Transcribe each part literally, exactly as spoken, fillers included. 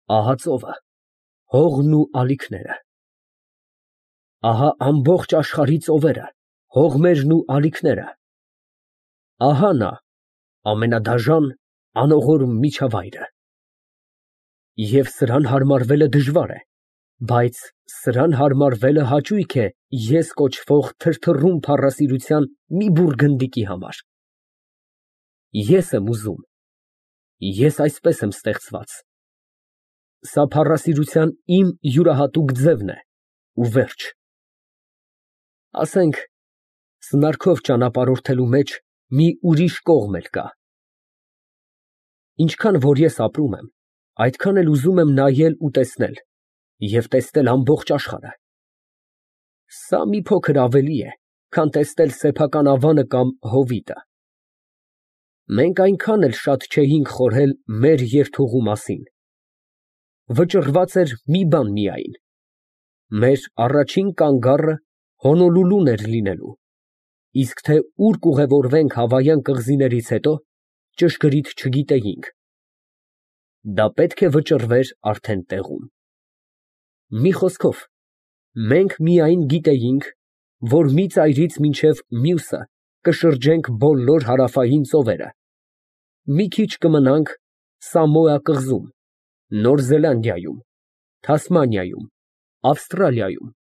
Ահա ծովը, հողն ու ալիքները։ Ահա ամբողջ աշխարհի ծովերը, հողերն ու ալիքները։ Ահա նա, ամենադաժան, անողորմ միջավայրը։ Եվ սրան հարմարվելը դժվար է, բայց սրան հարմարվելը հաճույք է ես կոչվող թրթռուն փառասիրության մի բուռ գնդիկի համար։ Ես եմ ուզում, ես այսպես եմ ստեղծված։ Սա փառասիրության իմ յուրահատուկ ձևն է, ու վերջ։ Ասենք, սնարքով ճանապարհորդելու մեջ մի ուրիշ կողմ էլ կա։ Ինչքան որ ես ապրում եմ, այդքան էլ ուզում եմ նայել ու տեսնել, և տեսնել ամբողջ աշխարհը։ Սա մի փոքր ավելի է, քան տեսնել սեփական ավանը կամ հովիտը։ Մենք այնքան էլ շատ չէինք խորհել մեր երթուղու մասին։ Վճռված էր մի բան միայն. մեր առաջին կանգառը Հոնոլուլուն էր լինելու, իսկ թե ուր կուղևորվենք հավայան կղզիներից հետո, ճշգրիտ չգիտեինք։ Դա պետք է վճռվեր արդեն տեղում։ Մի խոսքով, մենք միայն գիտեինք, որ մի ծայրից մինչև մյուսը կշրջենք բոլոր հարավային ծովերը, մի քիչ կմնանք Սամոա կղզում, Նոր Զելանդիայում, Թասմանիայում, Ավստրալիայում,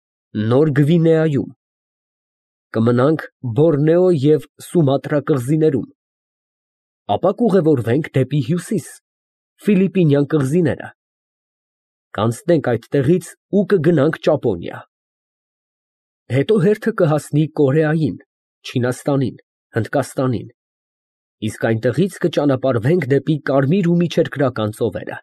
Նոր Գվինեայում, կմնանք Բորնեո և Սումատրա կղզիներում, ապա կուղևորվենք դեպի հյուսիս, Ֆիլիպինյան կղզիները, կանցնենք այդտեղից ու կգնանք Ճապոնիա, հետո հերթը կհասնի Կորեային, Չինաստանին, Հնդկաստանին, իսկ այնտեղից կճանապարհվենք դեպի Կարմիր ու Միջերկրական ծովերը։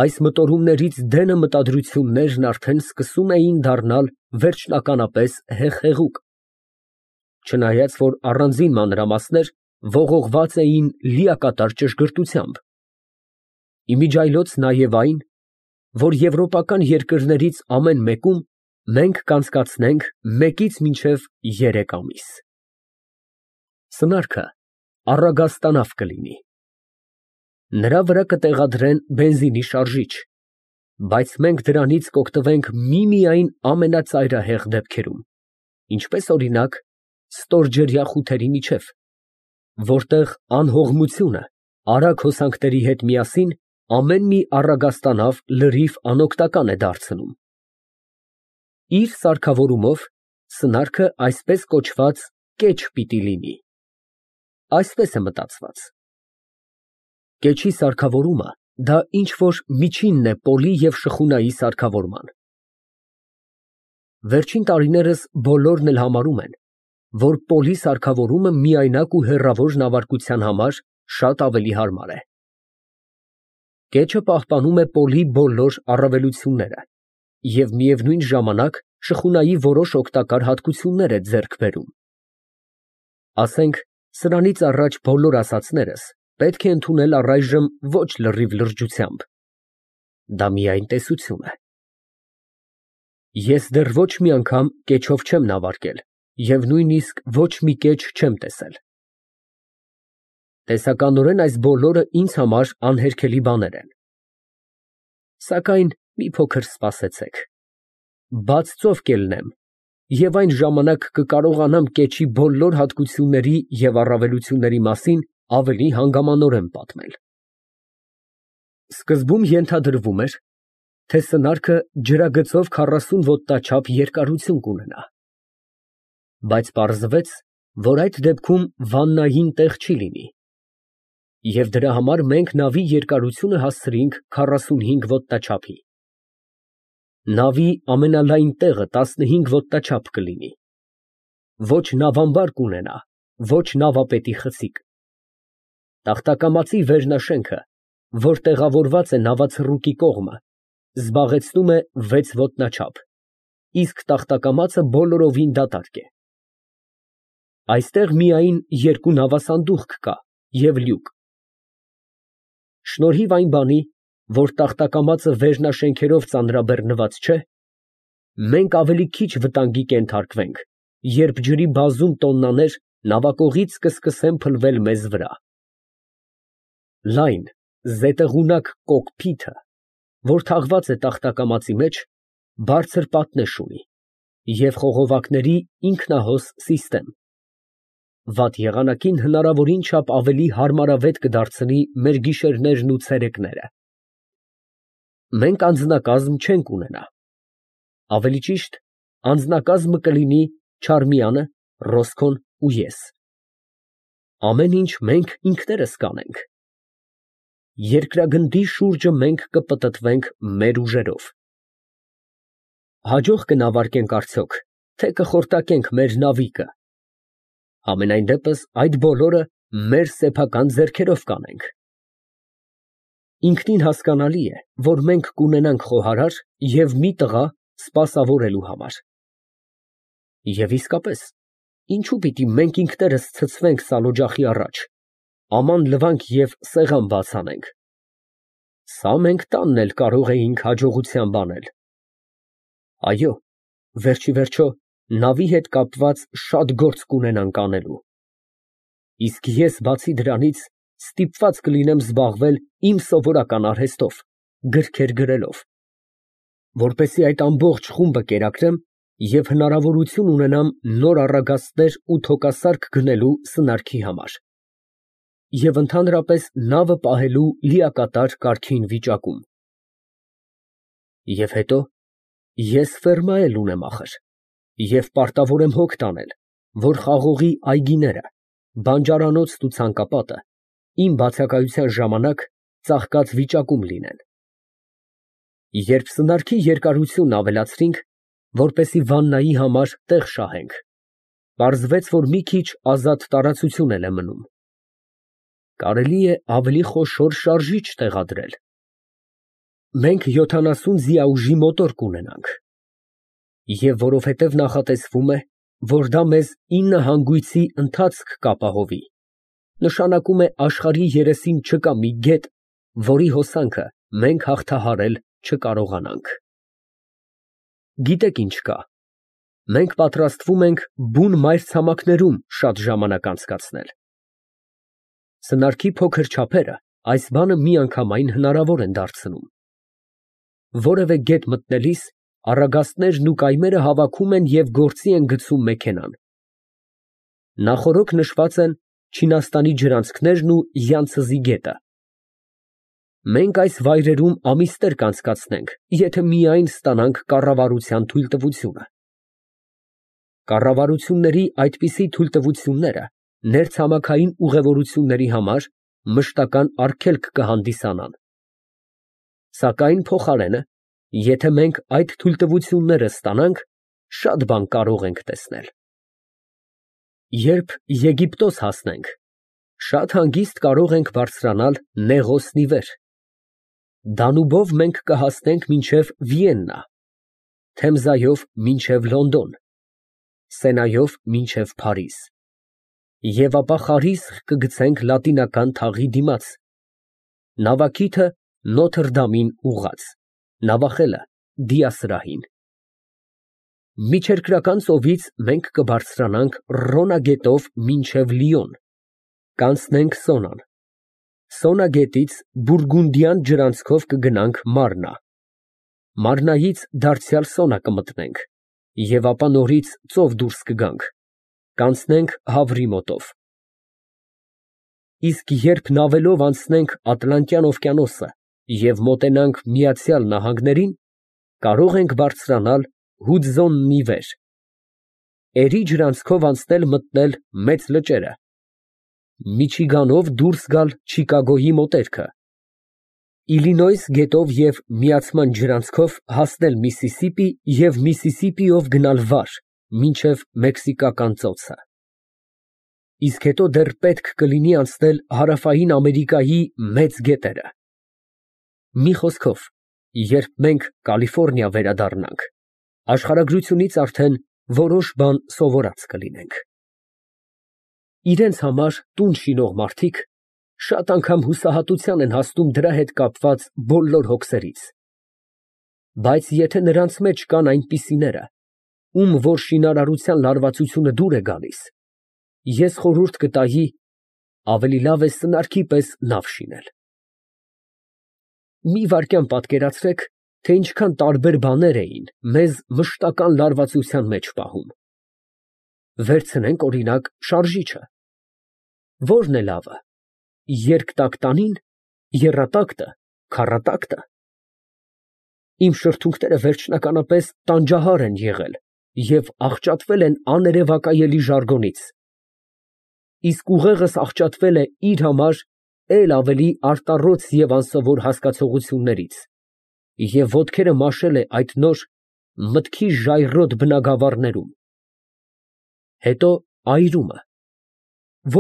Այս մտորումներից դենը մտադրություններն արդեն սկսում էին դառնալ վերջնականապես հեղեղուկ, չնայած որ առանձին մանրամասներ ողողված էին լիակատար ճշգրտությամբ, իմիջիայլոց նաև այն, որ եվրոպական երկրներից ամեն մեկում մենք կանցկացնենք մեկից մինչև երեք ամիս։ Սնարքը առագաստանավ կլինի։ Նրա վրա կտեղադրեն բենզինի շարժիչ, բայց մենք դրանից կօգտվենք միմիայն ամենածայրահեղ դեպքերում, ինչպես օրինակ ստորջրյա խութերի միջև, որտեղ անհողմությունը արագ հոսանքների հետ միասին ամեն մի առագաստանավ լրիվ անօգնական է դարձնում։ Իր սարքավորումով սնարքը այսպես կոչված կեչ պիտի լինի։ Այսպես է մտածված։ Կեչի սարքավորումը դա ինչ-որ միջինն է պոլի և շխունայի սարքավորման։ Վերջին տարիներս բոլորն էլ համարում են, որ պոլի սարքավորումը միայնակ ու հեռավոր նավարկության համար շատ ավելի հարմար է։ Կեչը պահպանում է պոլի բոլոր առավելությունները և միևնույն ժամանակ շխունայի որոշ օգտակար հատկություններ է ձեռք բերում։ Ասենք, սրանից առաջ բոլոր ասածներս պետք է ընդունել առայժմ ոչ լրիվ լրջությամբ։ Դա միայն տեսություն է։ Ես դեռ ոչ մի անգամ կեչով չեմ նավարկել և նույնիսկ ոչ մի կեչ չեմ տեսել։ Տեսականորեն այս բոլորը ինձ համար անհերքելի բաներ են։ Սակայն մի փոքր սպասեցեք, բաց ծով կելնեմ, և այն ժամանակ կկարողանամ կեչի բոլոր հատկությունների և առավելությունների մասին ավելի հանգամանորեն պատմել։ Սկզբում ենթադրվում էր, թե սնարքը ջրագծով քառասուն ոտնաչափ երկարություն կունենա, բայց պարզվեց, որ այդ դեպքում վաննային տեղ չի լինի, և դրա համար մենք նավի երկարությունը հասցրինք քառասունհինգ ոտնաչափի։ Նավի ամենալայն տեղը տասնհինգ ոտնաչափ կլինի, ոչ նավամբար կունենա, ոչ նավապետի խցիկ։ Տախտակամածի վերնաշենքը, որ տեղավորված է նավացռուկի կողմը, զբաղեցնում է վեց ոտնաչափ, իսկ տախտակամածը բոլորովին դատարկ է։ Այստեղ միայն երկու նավասանդուղք կա և լյուկ։ Շնորհիվ այն բանի, որ տախտակամածը վերնաշենքերով ծանրաբեռնված չէ, մենք ավելի քիչ վտանգի կենթարկվենք, երբ ջրի բազում տոննաներ նավակողից կսկսեն փլվել մեզ վրա։ Լայն, զետեղունակ կոկփիթը, որ թաղված է տախտակամածի մեջ, բարձր պատնեշ ունի և խողովակների ինքնահոս սիստեմ, վատ եղանակին հնարավորին չափ ավելի հարմարավետ կդարձնի մեր գիշերներն ու ցերեկները։ Մենք անձնակազմ չենք ունենա, ավելի ճիշտ անձնակազմը կլինի Չարմիանը, Ռոսկոն ու ես, ամեն ինչ մենք ինքներս կանենք, երկրագնդի շուրջը մենք կպտտվենք մեր ուժերով, հաջող կնավարկենք արդյոք, թե կխորտակենք մեր նավիկը, համենայն դեպս այդ բոլորը մեր սեփական ձեռքերով կանենք։ Ինքնին հասկանալի է, որ մենք կունենանք խոհարար և մի տղա սպասավորելու համար։ Եվ իսկապես, ինչու պիտի մենք ինքներս ցցվենք սալօջախի առաջ, աման լվանք և սեղան բաց անենք, սա մենք տանն էլ կարող էինք հաջողությամբ անել։ Այո, վերջիվերջո, նավի հետ կապված շատ գործ կունենանք անելու, իսկ ես բացի դրանից ստիպված կլինեմ զբաղվել իմ սովորական արհեստով, գրքեր գրելով, որպեսզի այդ ամբողջ խումբը կերակրեմ և հնարավորություն ունենամ նոր առագաստներ ու թոկասարք գնելու սնարքի համար և ընդհանրապես նավը պահելու լիակատար կարգին վիճակում։ Եվ հետո ես ֆերմա էլ ունեմ ախր և պարտավոր եմ հոգ տանել, որ խաղողի այգիները, բանջարանոցն ու ցանկապատը իմ բացակայության ժամանակ ծաղկած վիճակում լինեն։ Երբ սնարքի երկարությունն ավելացրինք, որպեսզի վաննայի համար տեղ շահենք, պարզվեց, որ մի քիչ ազատ տարածություն էլ է մնում։ Կարելի է ավելի խոշոր շարժիչ տեղադրել։ Մենք յոթանասուն ձիաուժի մոտոր կունենանք, և որովհետև նախատեսվում է, որ դա մեզ ինը հանգույցի ընթացք կապահովի, նշանակում է աշխարհի երեսին չկա մի գետ, որի հոսանքը մենք հաղթահարել չկարողանանք։ Գիտեք ինչ կա, մենք պատրաստվում ենք բուն մայրցամաքներում շատ ժամանակ անցկացնել։ Սնարքի փոքր չափերը այս բանը միանգամայն հնարավոր են դարձնում։ Որևէ գետ մտնելիս առագաստներն ու կայմերը հավաքում են և գործի են գցում մեքենան։ Նախօրոք նշված են Չինաստանի ջրանցքներն ու Յանցզի գետը։ Մենք այս վայրերում ամիսներ կանցկացնենք, եթե միայն ստանանք կառավարության թույլտվությունը։ Կառավարությունների այդպիսի թույլտվությունները ներցամաքային ուղևորությունների համար մշտական արգելք կհանդիսանան։ Սակայն փոխարենը, եթե մենք այդ թույլտվությունները ստանանք, շատ բան կարող ենք տեսնել։ Երբ Եգիպտոս հասնենք, շատ հանգիստ կարող ենք բարձրանալ Նեղոսնի վեր։ Դանուբով մենք կհասնենք մինչև Վիեննա, Թեմզայով մինչև Լոնդոն, Սենայով մինչև Փարիզ, և ապա խարիսխ կգցենք Լատինական թաղի դիմաց, նավակիթը Նոթր Դամին ուղղած, նավախելը դիասրահին։ Միջերկրական ծովից մենք կբարձրանանք Ռոնա գետով մինչև Լիոն, կանցնենք Սոնան, Սոնա գետից Բուրգունդիան ջրանցքով կգնանք Մարնա, Մարնայից դարձյալ Սոնա կմտնենք և ապա նորից ծով դուրս կգանք, կանցնենք Հավրի մոտով։ Իսկ երբ նավելով անցնենք Ատլանտյան օվկիանոսը և մոտենանք Միացյալ Նահանգներին, կարող ենք բարձրանալ Հուդզոննի վեր, Էրի ջրանցքով անցնել մտնել Մեծ լճերը, Միչիգանով դուրս գալ Չիկագոյի մոտերքը, Իլինոյս գետով և միացման ջրանցքով հասնել Միսիսիպի և Միսիսիպիով գնալ վար մինչև Մեքսիկական ծոցը։ Իսկ հետո դեռ պետք կլինի անցնել Հարավային Ամերիկայի մեծ գետերը։ Մի խոսքով, երբ մենք Կալիֆոռնիա վերադառնանք, աշխարհագրությունից արդեն որոշ բան սովորած կլինենք։ Իրենց համար տուն շինող մարդիկ շատ անգամ հուսահատության են հասնում դրա հետ կապված բոլոր հոգսերից։ Բայց եթե նրանց մեջ կան այնպիսիները, ում որ շինարարության լարվածությունը դուր է գալիս, ես խորհուրդ կտայի ավելի լավ է սնարքի պես նավ շինել։ Մի վայրկյան պատկերացրեք, թե ինչքան տարբեր բաներ էին մեզ մշտական լարվածության մեջ պահում։ Վերցնենք, օրինակ, շարժիչը։ Ո՞րն է լավը, երկտակտանին, եռատակտը, քառատակտը։ Իմ շրթունքները վերջնականապես տանջահար են եղել և աղճատվել են աներևակայելի ժարգոնից, իսկ ուղեղս աղճատվել է իր համար էլ ավելի արտառոց և անսովոր հասկացություններից և ոտքերը մաշել է այդ նոր, մտքի ժայռոտ բնագավառներում։ Հետո այրումը,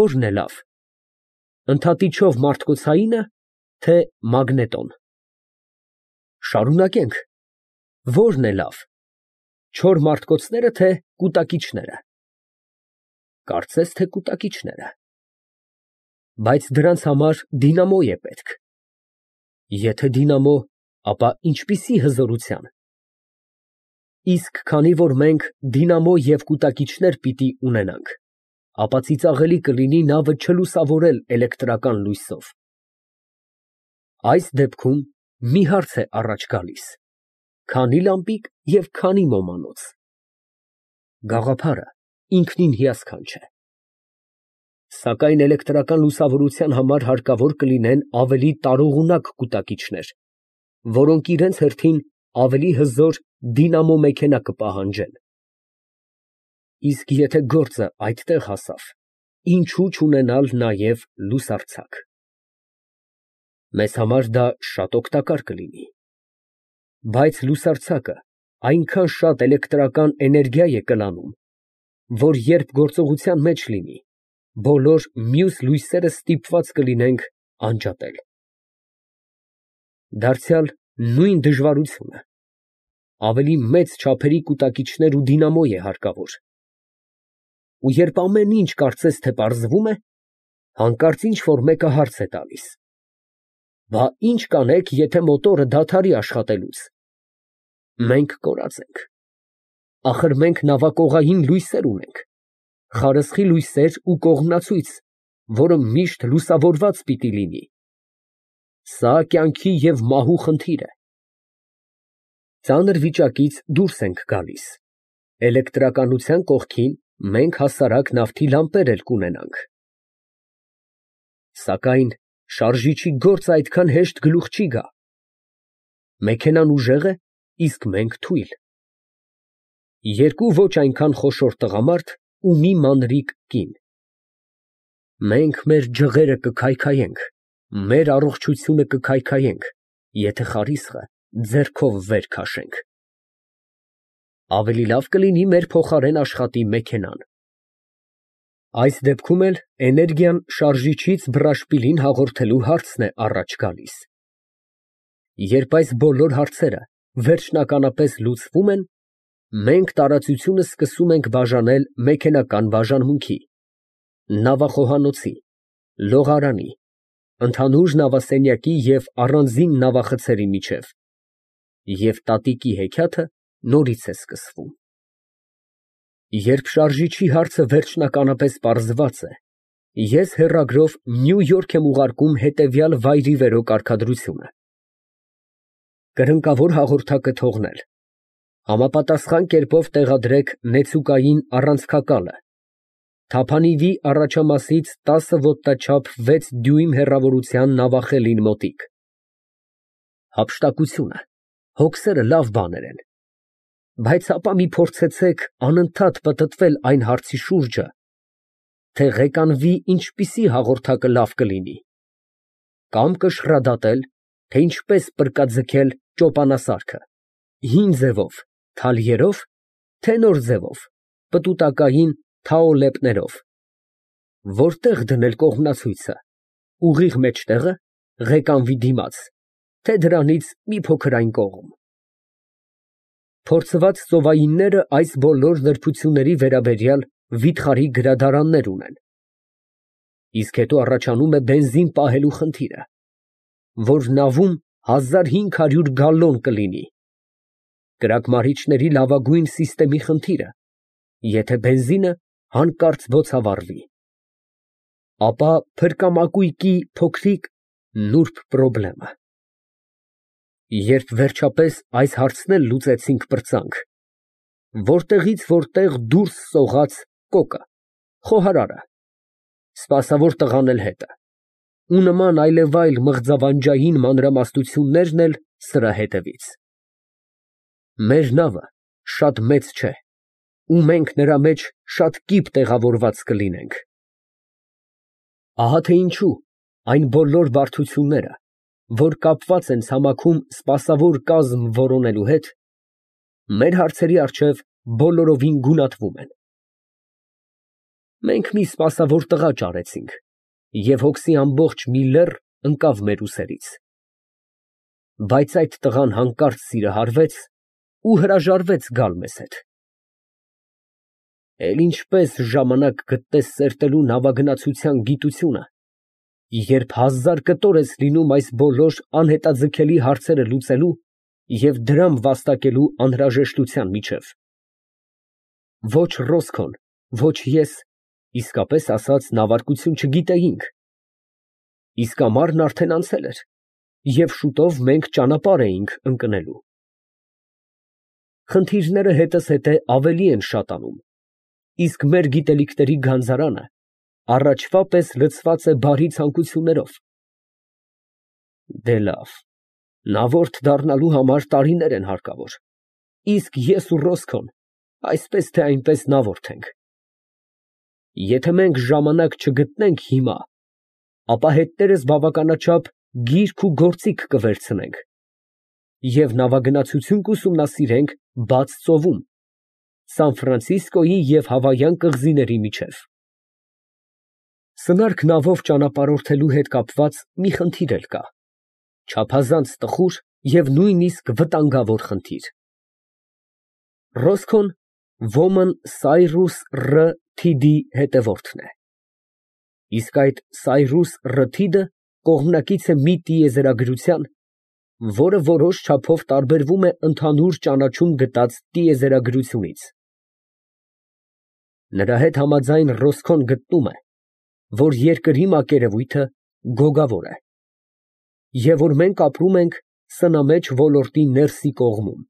ո՞րն է լավ, ընդհատիչով մարդկոցայի՞նը, թե մագնետոն։ Շարունակենք, ո՞րն է լավ, չոր մարդկոցնե՞րը, թե կուտակիչները։ Կարծես թե կուտակիչները։ Բայց դրանց համար դինամո է պետք։ Եթե դինամո, ապա ինչպիսի հզորության։ Իսկ քանի որ մենք դինամո և կուտակիչներ պիտի ունենանք, ապա ծիծաղելի կլինի նավը չլուսավորել էլեկտրական լույսով։ Այս դեպքում մի հարց է առաջ գալիս. քանի՞ լամպիկ և քանի՞ ոմանոց։ Գաղափարը ինքնին հիասքանչ է։ Սակայն էլեկտրական լուսավորության համար հարկավոր կլինեն ավելի տարողունակ կուտակիչներ, որոնք իրենց հերթին ավելի հզոր դինամո մեքենա կպահանջեն։ Իսկ եթե գործը այդտեղ հասավ, ինչո՞ւ չունենալ նաև լուսարձակ։ Մեզ համար դա շատ օգտակար կլինի։ Բայց լուսարձակը այնքան շատ էլեկտրական էներգիա է կլանում, որ երբ գործողության մեջ լինի, բոլոր մյուս լույսերը ստիպված կլինենք անջատել։ Դարձյալ նույն դժվարությունը, ավելի մեծ չափերի կուտակիչներ ու դինամո է հարկավոր։ Ու երբ ամեն ինչ կարծես թե պարզվում է, հանկարծ ինչ֊որ մեկը հարց է տալիս. «Բա ի՞նչ կանենք, եթե մոտորը դադարի աշխատելուց»։ Մենք կորած ենք։ Ախր մենք նավակողային լույսեր ունենք, խարսխի լույսեր ու կողմնացույց, որը միշտ լուսավորված պիտի լինի։ Սա կյանքի և մահու խնդիր է։ Ծանր վիճակից դուրս ենք գալիս։ Էլեկտրականության կողքին մենք հասարակ նավթի լամպեր էլ կունենանք։ Սակայն շարժիչի գործը այդքան հեշտ գլուխ չի գա։ Մեքենան ուժեղ է, իսկ մենք թույլ։ Երկու ոչ այնքան խոշոր տղամարդ ու մի մանրիկ կին։ Մենք մեր ջղերը կքայքայենք, մեր առողջությունը կքայքայենք, եթե խարիսխը ձեռքով վեր քաշենք։ Ավելի լավ կլինի մեր փոխարեն աշխատի մեքենան։ Այս դեպքում էլ էներգիան շարժիչից բռաշպիլին հաղորդելու հարցն է առաջ գալիս։ Երբ այս բոլոր հարցերը վերջնականապես լուծվում են, մենք տարածությունը սկսում ենք բաժանել մեքենական բաժանմունքի, նավախոհանոցի, լողարանի, ընդհանուր նավասենյակի և առանձին նավախցերի միջև, և տատիկի հեքիաթը նորից է սկսվում։ Երբ շարժիչի հարցը վերջնականապես պարզված է, ես հեռագրով Նյու Յորք եմ ուղարկում հետևյալ վայրիվերո կարգադրությունը. կրնկավոր հաղորդակը թողնել, համապատասխան կերպով տեղադրեք նեցուկային առանցքակալը, թափանիվի առաջամասից տասը ոտնաչափ վեց դյույմ հեռավորության նավախելին մոտիկ։ Հափշտակությունը, հոգսերը լավ բաներ են, բայց հապա մի փորձեցեք անընդհատ պտտվել այն հարցի շուրջը, թե ղեկանվի ինչպիսի հաղորդակը լավ կլինի, կամ կշռադատել, թե ինչպես պրկաձգել ճոպանասարքը, հին ձևով, թալյերով, թե նոր ձևով, պտուտակային թաոլեպներով, որտեղ դնել կողմնացույցը, ուղիղ մեջտեղը, ղեկանվի դիմաց, թե դրանից մի փոքր այն կողմ։ Փորձված ծովայինները այս բոլոր նրբությունների վերաբերյալ վիթխարի գրադարաններ ունեն։ Իսկ հետո առաջանում է բենզին պահելու խնդիրը, որ նավում հազար հինգ հարյուր գալլոն կլինի, կրակմարիչների լավագույն սիստեմի խնդիրը, եթե բենզինը հանկարծ բոցավառվի, ապա փրկամակույկի փոքրիկ նուրբ պրոբլեմը։ Երբ վերջապես այս հարցն էլ լուծեցինք, պրծանք. որտեղից որտեղ դուրս սողաց կոկը, խոհարարը, սպասավոր տղան էլ հետը, ու նման այլևայլ մղձավանջային մանրամասնություններն էլ սրա հետևից։ Մեր նավը շատ մեծ չէ, ու մենք նրա մեջ շատ կիպ տեղավորված կլինենք։ Ահա թե ինչու այն բոլոր բարդությունները, որ կապված են ցամաքում սպասավոր կազմ որոնելու հետ, մեր հարցերի առջև բոլորովին գունատվում են։ Մենք մի սպասավոր տղա ճարեցինք, և հոգսի ամբողջ մի լեռ ընկավ մեր ուսերից։ Բայց այդ տղան հանկարծ սիրահարվեց ու հրաժարվեց գալ մեզ հետ։ Էլ ինչպես ժամանակ գտնես սերտելու նավագնացության գիտությունը, երբ հազար կտոր ես լինում այս բոլոր անհետաձգելի հարցերը լուծելու և դրամ վաստակելու անհրաժեշտության միջև։ Ոչ Ռոսկոն, ոչ ես, իսկապես ասած, նավարկություն չգիտեինք, իսկ ամառն արդեն անցել էր, և շուտով մենք ճանապարհ էինք ընկնելու։ Խնդիրները հետզհետե ավելի են շատանում, իսկ մեր գիտելիքների գանձարանը առաջվա պես լցված է բարի ցանկություններով։ Դե լավ, նավորդ դառնալու համար տարիներ են հարկավոր, իսկ ես ու Ռոսկոն այսպես թե այնպես նավորդ ենք։ Եթե մենք ժամանակ չգտնենք հիմա, ապա հետներս բավականաչափ գիրք ու գործիք կվերցնենք և նավագնացություն կուսումնասիրենք բաց ծովում, Սան Ֆրանցիսկոյի և Հավայան կղզիների միջև։ Սնարք նավով ճանապարհորդելու հետ կապված մի խնդիր էլ կա, չափազանց տխուր և նույնիսկ վտանգավոր խնդիր։ Ռոսկոն ոմն Սայրուս Ռ. Թիդի հետևորդն է, իսկ այդ Սայրուս Ռ. Թիդը կողմնակից է մի տիեզերագրության, որը որոշ չափով տարբերվում է ընդհանուր ճանաչում գտած տիեզերագրությունից։ Նրա հետ համաձայն Ռոսկոն գտնում է, որ երկրի մակերևույթը գոգավոր է, և որ մենք ապրում ենք սնամեջ ոլորտի ներսի կողմում։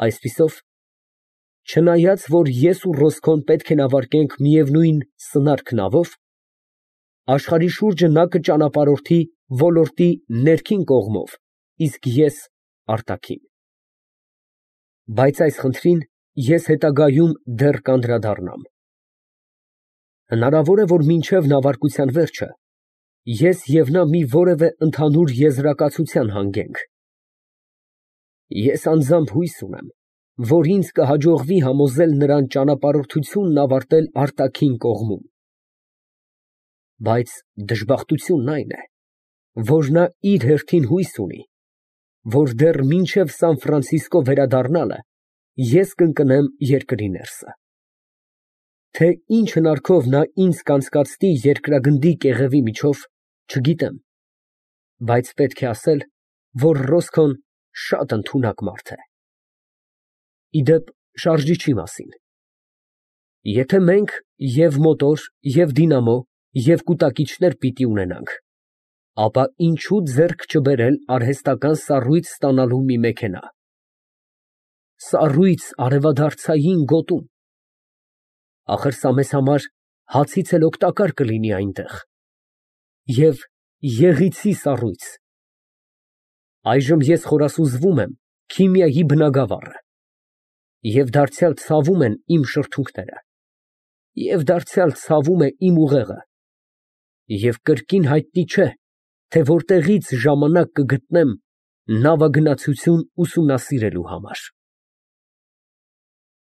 Այսպիսով, չնայած որ ես ու Ռոսկոն պետք է նավարկենք միևնույն սնարք նավով, աշխարհի շուրջը նա կճանապարհորդի ոլորտի ներքին կողմով, իսկ ես արտաքին։ Բայց այս խնդրին ես հետագայում դեռ կանդրադառնամ։ Հնարավոր է, որ մինչև նավարկության վերջը ես և նա մի որևէ ընդհանուր եզրակացության հանգենք։ Ես անձամբ հույս ունեմ, որ ինձ կհաջողվի համոզել նրան ճանապարհորդությունն ավարտել արտաքին կողմում։ Բայց դժբախտությունն այն է, որ նա իր հերթին հույս ունի, որ դեռ մինչև Սան Ֆրանցիսկո վերադառնալը ես կընկնեմ երկրի ներսը։ Թե ինչ հնարքով նա ինձ կանցկացնի երկրագնդի կեղևի միջով, չգիտեմ, բայց պետք է ասել, որ Ռոսկոն շատ ընդունակ մարդ է։ Ի դեպ, շարժիչի մասին. եթե մենք և մոտոր, և դինամո, և կուտակիչներ պիտի ունենանք, ապա ինչու ձեռք չբերել արհեստական սառույց ստանալու մի մեքենա։ Սառույց արևադարձային գոտում։ Ախր սա մեզ համար հացից էլ օգտակար կլինի այնտեղ։ Եվ եղիցի սառույց։ Այժմ ես խորասուզվում եմ քիմիայի բնագավառը, և դարձյալ ցավում են իմ շրթունքները, և դարձյալ ցավում է իմ ուղեղը, և կրկին հայտնի չէ, թե որտեղից ժամանակ կգտնեմ նավագնացություն ուսումնասիրելու համար։